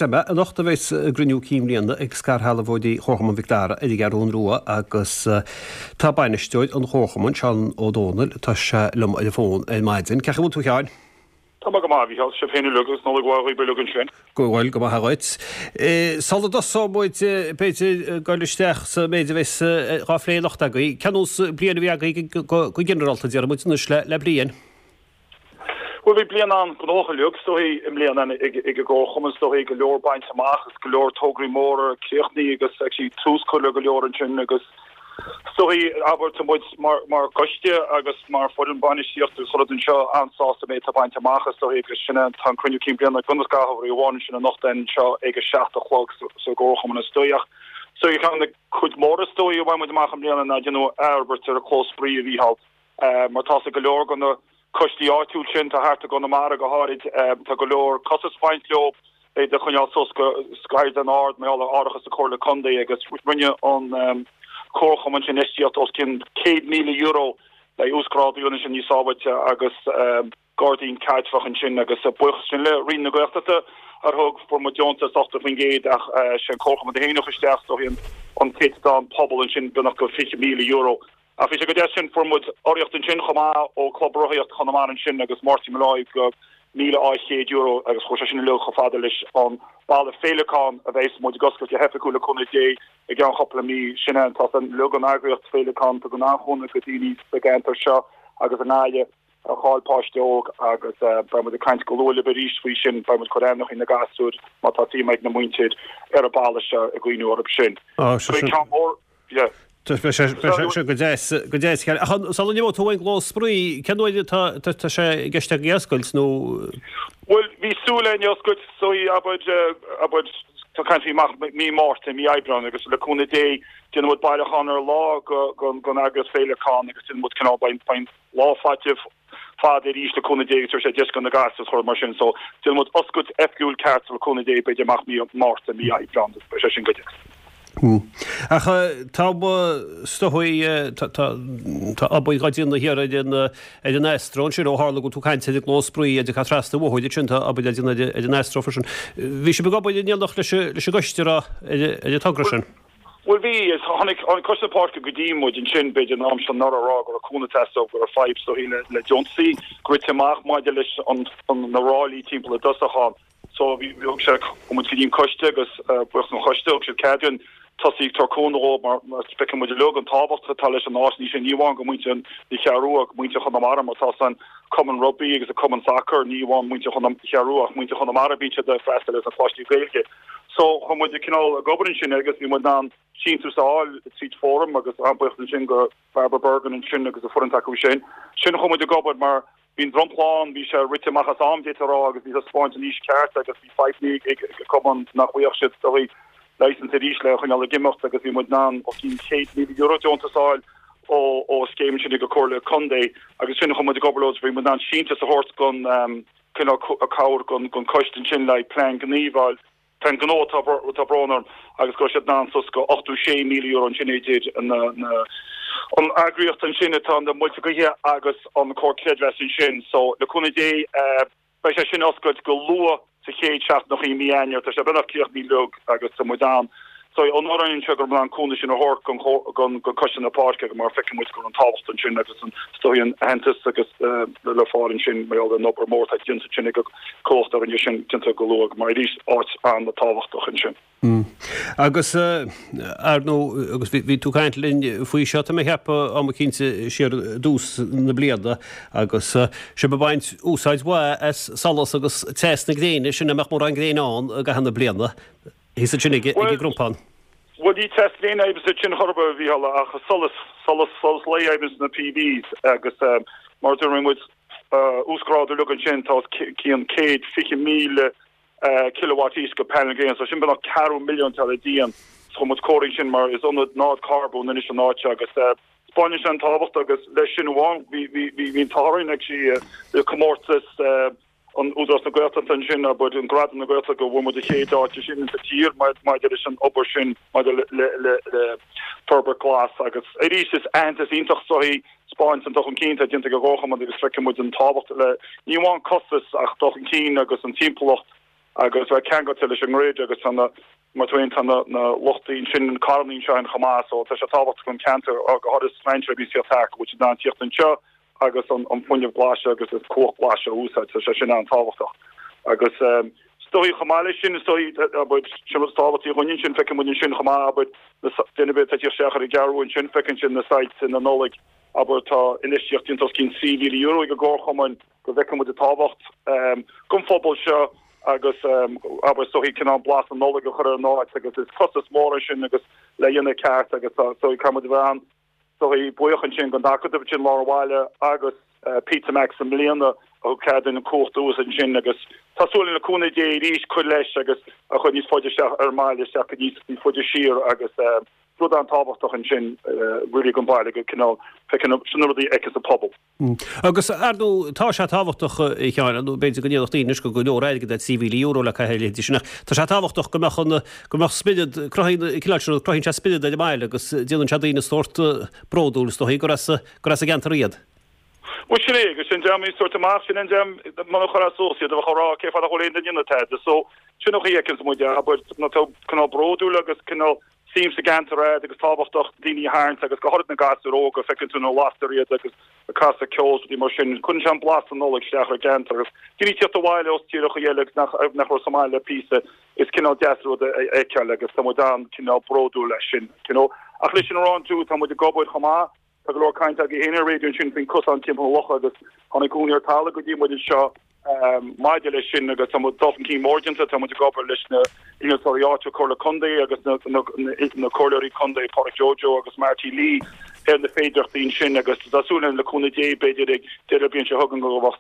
deir mé, anocht a bheas an gcruinniú cinn bhliana ag scairshealbhóirí Chomharchumann Mhic Dara ar an gCeathrún Rua agus tá bainisteoir an Chomharchumainn, Seán Ó Dónaill, tá sé liom ar an bhfón ar maidin. Cén chaoi a bhfuil tú a Sheáin? Tá mé go maith, a Mhícheáil. Sibh féin uilig agus Nollaig mhaith dhaoibh uilig ansin. Go bhfuil, go maith dhuit. Sula dtosóidh muid, b'fhéidir, ag dul isteach sa méid a bheas dhá phlé anocht agaibh, cén nós bliain a bhí agaibh go ginearálta, déarfaidh muid anois le bliain? Bhuel, bhí bliain an-ghnóthach uilig, is dóichí, i mbliana ag an gComharchumann, is dóichí, go leor bainte amach agus go leor tograí móra críochnaithe agus actually tús curtha le go leor ansin agus is dóichí, abair, tá muid mar choiste agus mar foireann bainistíochta agus chuile rud anseo an-sásta méid atá bainte amach is dóichí agus sin é, tá an cruinniú cinn bliana ag dul ar aghaidh amháin ansin anocht anseo ag a 7 a chlog sa gComharchumann is dóichí ach is dóichí ceann de na cuid mhóra is dóichí a bhain muid amach i mbliana ná déanamh athfhorbairt ar an chlós spraoi a Mhícheáil. Mar tá go leor de na coistí áitiúil sin, tá thart i gConamara go háirid, tá go leor costas ag baint leo iad a choinneáil suas go caighdeán ard mar gheall ar árachas na Comhairle Contae agus rinne an Comharchumann sin infheistíocht os cionn €100,000 le uasghrádú a dhéanamh sin níos sábháilte agus gairdín caidreamhach ansin agus buíochas sin le Roinn na Gaeltachta a thug, fuair muid deontas 80% ach sé an Comharchumann a féin a chuir isteach is dóichí an céatadán pobal ansin beagnach go €20,000. Ach bhí sé go deas sin, fuair muid urraíocht ansin chomh maith ó Club Rothaíocht Chonamara ansin agus Máirtín Molloy go €1,200 agus chuaigh sé sin uilig chomh fada leis an balla féileacán a bheas muid ag oscailt go hoifigiúil le cúnamh Dé i gceann chúpla mí. Sin é an tá uilig an eagraíocht féileacán tugann an-chúnamh go daoine sa gceantar seo agus i nGaillimh a chaill páiste óg agus beidh muid ag caint go luath libh arís faoi sin. Beidh muid ag cur ainmneacha na gasúir má tá suim ag na muintir ar an balla seo ag cuimhniú orthu sin. Beidh ceann mór Yeah. Beidh sé go deas, go deas. Ach sula n-imeoidh tú ón gclós spraoi, cén uair atá tá sé i gceist agaibh é a oscailt nó? Bhuel, bhí súil againn é a oscailt, so abair, abair, tá caint faoi amach mí Márta, mí Aibreán agus le cúnamh Dé déanfaidh muid bailiúchán ar lá don eagraíocht Féileacán agus déanfaidh muid cineál, beidh lá faiteamh fada arís le cúnamh Dé agus tabharfaidh sé deis do na gasúir is chuile rud mar sin so déanfaidh muid oscailt oifigiúil ceart le cúnamh Dé b'fhéidir amach mí Márta, mí Aibreán agus beidh sé sin go deas. Ach tá, is dóigh, tá obair dhá déanamh thiar ar an ar an Astro ansin ó tharla go bhfuil tú ag caint ar an gclós spraoi a d'fhéadfá trasna an bhóthair ansin tá obair le déanamh ar an Astro freisin. Bhí sibh ag obair in éineacht leis an gcoiste ar an togra sin? Bhuel bhí, tháinig Coiste na Páirce go dtí muid ansin b'fhéidir an am seo anuraidh a rá go raibh cúnamh ag teastáil, go raibh fadhb is dóichí le deontaisí rite amach maidir leis na ráillí timpeall i dtosach ann. So bhí, thug sé, chuaigh muid go dtí an coiste agus buíochas don choiste, thug siad cead dúinn tosaí ag tabhairt cúnamh dhóibh mar mar feiceann muid uilig an tábhacht atá leis an áit, ní sin, ní amháin go muintir na Ceathrún Rua ach muintir Chonamara mar tá san cumann rugbaí agus an cumann sacair, ní amháin muintir na Ceathrún Rua ach muintir Chonamara bíonn siad ag freastal ar na coláistí Gaeilge. So chuaigh muid ag cineál ag obair ansin agus bhí muid in ann síntiús a fháil tríd Fóram agus an-buíochas ansin go Barbara Bergin ansin agus a foireann acu sin. Sin chuaigh muid ag obair mar bhí an dromchla ann, bhí sé rite amach as am, d'fhéadfá a rá, agus bhí sé ag spáint an aois ceart agus bhí fadhbanna ag an cumann nach bhfaigheadh siad is dóichí license arís le choinneáil ag imeacht agus bhí muid in ann os cionn €100,000 deontas a fháil ó ó scéim sin ag an Comhairle Contae agus sin chuaigh muid ag obair leo bhí muid in ann síntiús a thabhairt don cineál cabhair don coiste ansin le plean gnímh a fháil Plean gnó tá brón orm agus go raibh siad in ann suas go €86,000 ansin idir na an eagraíocht ansin atá na muilte gaoithe agus an Comhar Creidmheasa ansin. So le cúnamh Dé beidh sé sin oscailt go luath sa chéad seachtain i mí Eanáir. Tá sé beagnach críochnaithe uilig agus tá muid ann. So onóir orainn anseo go raibh muid in ann cúnamh sin a thabhairt don don Coiste na Páirce mar feiceann muid go raibh an tábhacht ansin agus an is dóigh an aitheantas agus le fáil ansin mar gheall ar an obair mór atá déanta ansin ag an comhlacht a rinne sin déanta go luath mar arís áit an-tábhachtach ansin. Agus ar ndóigh, agus bhí tú ag caint linn faoi seo, tá mé ag ceapadh, am eicínt siar i dtús na bliana agus sibh ag baint úsáid mhaith as solas agus teas na gréine, sin a mbeadh mórán gréine ann i gcaitheamh na bliana, thíos ansin ag an gCrompán. Bhuel, ní teas gréine a fhaigheann sin chor ar bith, a Mhícheáil, ach solas, solas, solas lae a fhaigheann na PVs agus mar a dúirt muid, uasghrádú uilig ansin, tá os cionn 120,000 kilowatt aois de panel gréine, so sin beagnach ceathrú milliún atá le díon. So chuir muid cóirithe ansin mar is ionad náid carbóin anois an áit seo agus 'spáineann sé an tábhacht agus leis sin amháin bhí bhí bhí an t-ádh orainn actually le comórtas an Údarás na Gaeltachta ansin, abair, an Gradam na Gaeltachta go bhfuair muid an chéad áit ansin sa tír maidir leis an obair sin maidir le le le forbairt glas agus arís is aitheantas iontach so é 'spáint an dul chun cinn atá déanta ag an gComharchumann agus feiceann muid an tábhacht le ní amháin costas ach dul chun cinn agus an timpeallacht. Agus bheith ceangailte leis an ngrid agus tá na, mar tú féin, tá na, na luchtaí ansin, na carrannaí anseo féin chomh maith so tá sé tábhachtach don cheantar, go háirithe strainséirí a bhíonn ag tíocht thart, go bhfuil siad in ann tíocht anseo agus an, an fuinneamh glas seo agus an cumhacht glas seo a úsáid, tá sé sin an-tábhachtach. Agus is dóigh chomh maith leis sin, is dóigh, abair, sin rud is tábhachtaí dhúinn ansin, feiceann muid ansin chomh maith, abair, na, duine ar bith atá ag tíocht isteach ar an gCeathrú Rua ansin, feiceann siad na soilse na Nollag, abair, tá infheistíocht déanta os cionn €3,000 ag an gcomharchumann, go bhfeiceann muid an tábhacht don phobal seo agus abair is dóichí cineál blas na Nollag a chur ar an áit agus is costas mór é sin agus le dhéanamh ceart agus tá is dóigh caithfidh muid a bheith an is dóigh buíoch ansin don Acadamh ansin lár an bhaile agus Pizza Max i mbliana a thug cead dúinn an cumhacht a úsáid ansin agus tá súil againn le cúnamh Dé arís cur leis agus a chur níos faide isteach ar an mbaile isteach go níos níos faide siar agus rud an-tábhachtach ansin really don bhaile go cineál feiceann sin na rudaí a fheiceanns an pobal. Agus, ar ndóigh, tá sé tábhachtach, a Sheáin, nó b'fhéidir go ndéarfadh daoine anois gur go leor airgid é €3,000 le caitheamh ar a leithéidí sin, ach tá sé tábhachtach go mbeadh an, go mbeadh spiorad, cruthaíonn an cineál sin rud, cruthaíonn sé spiorad ar an mbaile agus déanann sé daoine sórt bródúil, is dóichí, gur as, gur as an gceantar iad. Bhuel, sin é, agus sin dream a bhíonns ag tabhairt amach, sin an dream, muna chuirfeá suas iad, a bheadh á rá, cén fáth nach bhfuil aon duine ag déanamh tada. So, sin an chaoi a fheiceanns muid é, abair, nó tá cineál bródúil agus cineál, suim sa gceantar a'd agus tábhachtach daoine a tharraingt agus go háirid na gasúir óga, feiceann tú nuair a lastar iad agus ag casadh ceoil is rudaí mar sin, cuireann sé an blas na Nollag isteach ar an gceantar agus daoine ag tíocht abhaile ós tíreacha eile agus nach nach raibh sa mbaile le píosa, is cineál deas rud a fheiceáil agus tá muid an-cineál bródúil as sin, you know. Ach leis sin a rá too, tá muid ag obair chomh maith, tá go leor caint agaibh féin ar an raidió ansin faoin cosán timpeall na locha agus tháinig úinéir talaimh go dtí muid anseo, Maidir leis sin, agus tá dul chun cinn mór déanta, tá muid ag obair leis na innealtóirí áitiúil, Comhairle Contae agus na Comhairleoirí Contae, Pádraic Joe Joe agus Marty Lee ar na féidearthachtaí ansin agus tá súil againn le cúnamh Dé b'fhéidir ag deireadh na bliana seo chugainn go mbeadh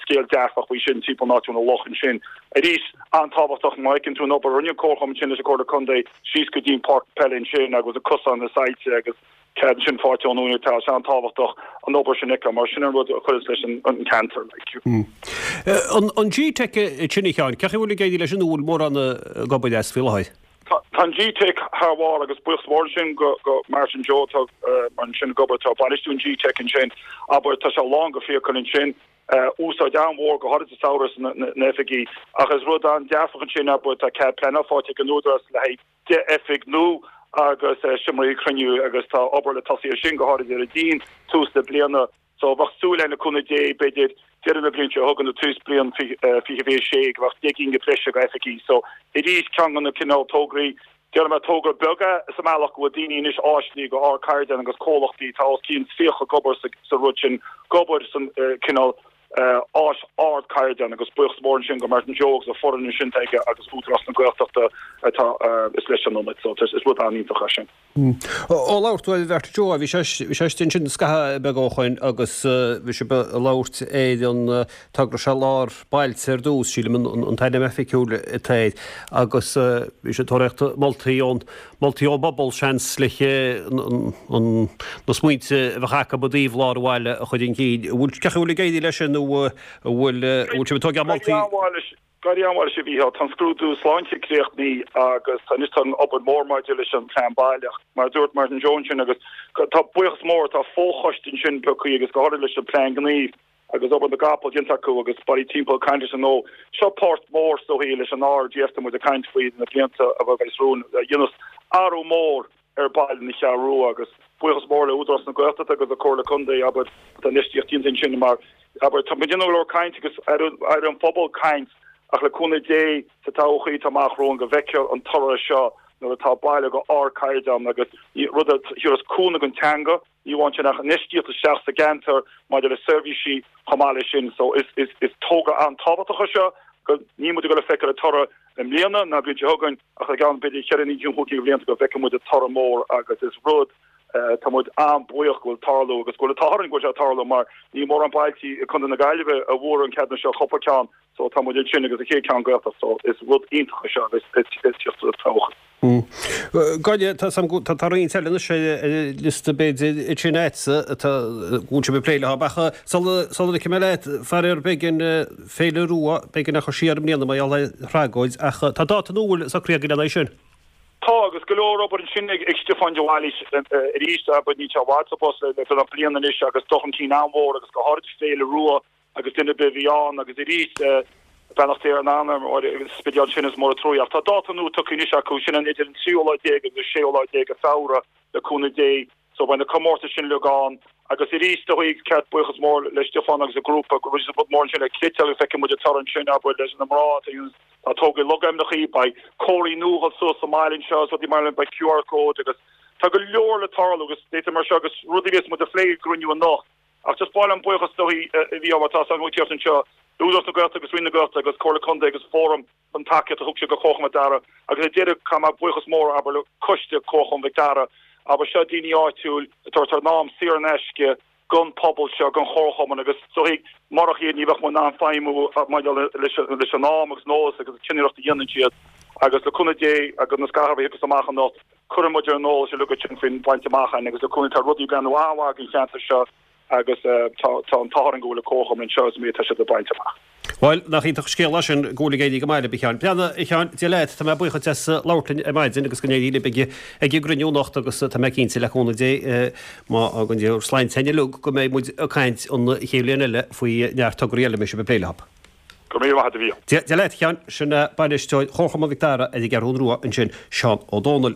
scéal dearfach faoi sin timpeall an áit na loch ansin. Arís, an-tábhachtach má fheiceann tú an obair a rinne an Comharchumann ansin leis an Comhairle Contae síos go dtí an páirc peile ansin agus an cosán na soilse agus cead sin faighte ón úinéir tá sé an-tábhachtach an obair sin a fheiceáil mar sin an rud a chuireas leis an ceantar. An G-Teic sin a Sheáin, cén chaoi a bhfuil ag éirí leis an bhfuil mórán ag obair as faoi láthair? Tá an G-Teic thar bharr agus buíochas mór ansin go go Martin Joe atá ansin ag obair atá ag bainistiú an G-Teic ansin. Abair tá sé lán go fiacail ansin. Úsáid an-mhór go háirid sa samhradh sna oifigí ach is rud an-dearfach ansin abair tá cead pleanála faighte ag an Údarás le haghaidh 10 oifig nua agus seomraí cruinniú agus tá obair le tosaí ar sin, go háirid ar an díon, tús na bliana. So bheadh súil againn le cúnamh Dé, b'fhéidir deireadh na bliana seo chugainn nó tús bliain 2026 go mbeadh 10 gcinn breise go oifigí. So arís ceann de na cineál tograí, déarfaidh mé togra beag é sa mbealach go bhfuil daoine anois áiseanna go ardchaighdeán agus comhlachtaí, tá os cionn 30 ag obair sa rud sin, ag obair san cineál áis ardchaighdeán agus buíochas mór ansin go Martin Joe agus a foireann ansin atá aige agus Údarás na Gaeltachta atá is leis an ionad so is rud an-iontach é sin. Ó labhair tú ar Mharty Joe, bhí sé bhí sé istigh ansin scaitheamh beag ó shoin agus bhí sibh ag labhairt ar an togra seo Lár Bailte ar dtús, sílim an t-ainm oifigiúil atá air, agus bhí sé ag tóraíocht moltaí ón Moltaí ón bpobal, seans, le na smaointe a bheadh acu i dtaobh lár an bhaile a chur chun cinn. An bhfuil, cén chaoi a bhfuil ag éirí leis sin nó an bhfuil, an bhfuil sibh ag tógáil moltaí? Ag éirí an-mhaith leis a Mhícheáil. Tá an scrúdú sláinte críochnaithe agus anois tá an obair mhór maidir leis an phlean baile ach mar a dúirt Martin Joe ansin agus tá buíochas mór, tá fochoiste ansin pioctha agus go háirid leis an plean gnímh agus obair na gcapall déanta acu agus bailí timpeall ag caint leis an ngnó. Seo páirt mhór is dóichí leis an RGF tá muid ag caint faoi na blianta a bheas romhainn a dhéanfas athrú mór ar baile na Ceathrún Rua agus buíochas mór le Údarás na Gaeltachta agus an Comhairle Contae abair tá infheistíocht déanta ansin mar abair tá muid ag déanamh go leor caint agus ar an phobal caint ach le cúnamh Dé sa todhchaí atá amach romhainn go bhfeicfear an toradh seo nuair atá baile go ardchaighdeán agus rud a thabharfas cúnamh don teanga Ní amháin sin ach infheistíocht isteach sa gceantar maidir le seirbhísí chomh maith leis sin. So is is is togra an-tábhachtach é seo go níl muid ag dul a feiceáil an toradh i mbliana ná bliain seo chugainn ach i gceann b'fhéidir cheithre nó chúig de bhlianta go bhfeicfidh muid an toradh mór agus is rud tá muid an-bhuíoch go bhfuil tarlú agus go bhfuil an t-ádh orainn go bhfuil sé ag tarlú mar níl mórán bailtí i Contae na Gaillimhe a bhfuair an ceadúnas seo cúpla ceann so tá muid ansin agus an chéad ceann Gaeltacht so is rud iontach é seo agus is is teacht sa todhchaí. Gaille, tá 's a'm go, tá roinnt eile anois ar an liosta b'fhéidir sin a'dsa atá, go bhfuil sibh ag plé leo ach sula, sula ligfidh mé leat, faraor beidh an Féile Rua, beidh an curtha siar i mbliana mar gheall ar thragóid ach tá dáta nua socraithe agaibh lena aghaidh sin. Tá, agus go leor obair ansin ag Stiofán de Bhailís arís, abair níl sé i bhfad sa bpost le beagnach bliain anois agus dul chun cinn an-mhór agus go háirid Féile Rua agus duine ar bith a bhí ann agus arís. Beannacht Dé ar a n-anam, an Spidéal ansin is mór an trua. Ach tá dáta nua tugtha anois acu, sin an idir an tríú lá déag agus an séú lá déag de Feabhra, le cúnamh Dé. So beidh na comórtais sin uilig ann. Agus arís is dóigh ceart buíochas mór le Stiofán agus a grúpa go bhfuil rud mór ansin le cniotáil agus feicfidh muid an toradh ansin abair leis na mná atá ag tógáil logainmneacha, beidh comharthaí nua ag dul suas sa mbaile anseo agus rudaí mar sin, beidh QR code agus tá go leor le tarlú agus data mar seo agus rudaí a bheas muid a phlé ag an gcruinniú anocht. Ach just ba mhaith liom buíochas is dóigh a bhí mar tá san tíocht anseo, Údarás na Gaeltachta agus Roinn na Gaeltachta agus Comhairle Contae agus Fóram an tacaíocht a thug siad do Chomharchumann Mhic Dara agus ar deireadh caithfidh mé buíochas mór abair le coiste Comharchumann Mhic Dara abair seo daoine áitiúil ag tabhairt a n-am saor in aisce don pobal seo don chomharchumann agus is dóigh murach iad ní bheadh muid in ann feidhmiú maidir leis leis an am agus an eolas agus an cinnireacht a dhéanann siad agus le cúnamh Dé agus na scaitheamh a thiocfas amach anocht cuirfidh muid ar an eolas uilig ansin faoin bhaint amach againn agus le cúnamh tá rudaí ag breathnú an-mhaith don cheantar seo agus tá an t-ádh orainn go bhfuil an comharchumann anseo is an méid atá siad ag baint amach. Bhuel, nach iontach an scéal é sin go bhfuil ag éirí go maith libh, a Sheáin. Breathnaigh, a Sheáin, Dia leat, tá mé buíoch duit as labhairt linn ar maidin agus go n-éirí libh ag an gcruinniú anocht agus tá mé cinnte, le cúnamh Dé, má fhágann Dia bhur sláinte féin uilig, go mbeidh muid ag caint an chéad bhliain eile faoi neart tograí eile a mbeidh sibh ag plé leo. Go raibh míle maith agat, a Mhíchíl. Dia leat, a Sheáin. Sin bainisteoir Chomharchumann Mhic Dara ar an gCeathrú Rua ansin, Seán Ó Dónaill.